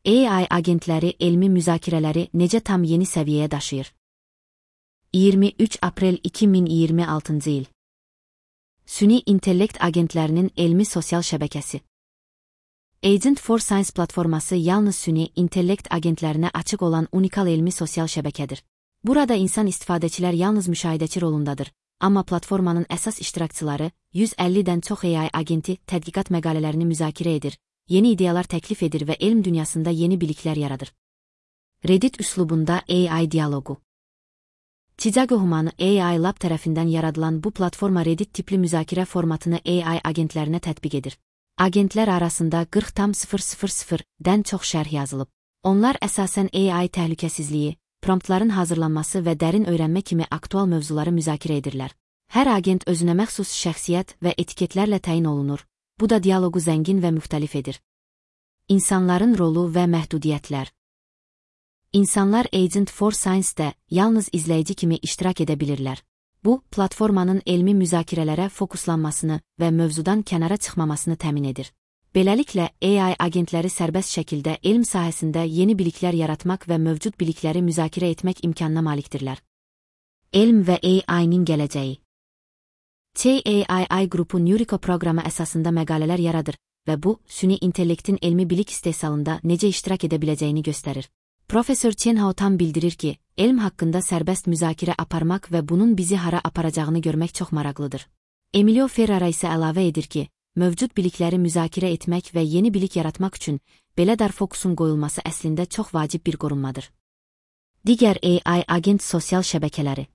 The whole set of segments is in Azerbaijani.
AI agentləri elmi müzakirələri necə tam yeni səviyyəyə daşıyır? 23 aprel 2026-cı il. Süni intellekt agentlərinin elmi sosial şəbəkəsi. Agent for Science platforması yalnız süni intellekt agentlərinə açıq olan unikal elmi sosial şəbəkədir. Burada insan istifadəçilər yalnız müşahidəçi rolundadır, amma platformanın əsas iştirakçıları 150-dən çox AI agenti tədqiqat məqalələrini müzakirə edir, yeni ideyalar təklif edir və elm dünyasında yeni biliklər yaradır. Reddit üslubunda AI dialoqu. Chicago Human AI Lab tərəfindən yaradılan bu platforma Reddit tipli müzakirə formatını AI agentlərinə tətbiq edir. Agentlər arasında 40,000-dən çox şərh yazılıb. Onlar əsasən AI təhlükəsizliyi, promptların hazırlanması və dərin öyrənmə kimi aktual mövzuları müzakirə edirlər. Hər agent özünə məxsus şəxsiyyət və etiketlərlə təyin olunur. Bu da dialoqu zəngin və müxtəlif edir. İnsanların rolu və məhdudiyyətlər. İnsanlar Agent for Science-də yalnız izləyici kimi iştirak edə bilirlər. Bu, platformanın elmi müzakirələrə fokuslanmasını və mövzudan kənara çıxmamasını təmin edir. Beləliklə, AI agentləri sərbəst şəkildə elm sahəsində yeni biliklər yaratmaq və mövcud bilikləri müzakirə etmək imkanına malikdirlər. Elm və AI-nin gələcəyi. CAII qrupu Neurico proqramı əsasında məqalələr yaradır və bu, süni intellektin elmi bilik istehsalında necə iştirak edə biləcəyini göstərir. Profesör Chen Hao tam bildirir ki, elm haqqında sərbəst müzakirə aparmaq və bunun bizi hara aparacağını görmək çox maraqlıdır. Emilio Ferrara isə əlavə edir ki, mövcud bilikləri müzakirə etmək və yeni bilik yaratmaq üçün belə dar fokusun qoyulması əslində çox vacib bir qorunmadır. Digər AI agent sosial şəbəkələri.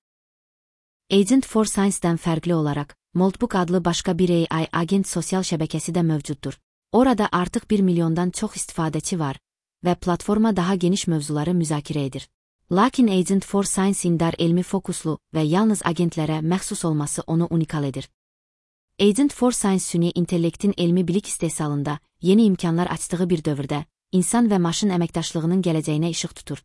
Agent for Science-dən fərqli olaraq, Moldbook adlı başqa bir AI agent sosial şəbəkəsi də mövcuddur. Orada artıq 1 milyondan çox istifadəçi var və platforma daha geniş mövzuları müzakirə edir. Lakin Agent for Science-in dar elmi fokuslu və yalnız agentlərə məxsus olması onu unikal edir. Agent for Science süni intellektin elmi bilik istehsalında yeni imkanlar açdığı bir dövrdə, insan və maşın əməkdaşlığının gələcəyinə işıq tutur.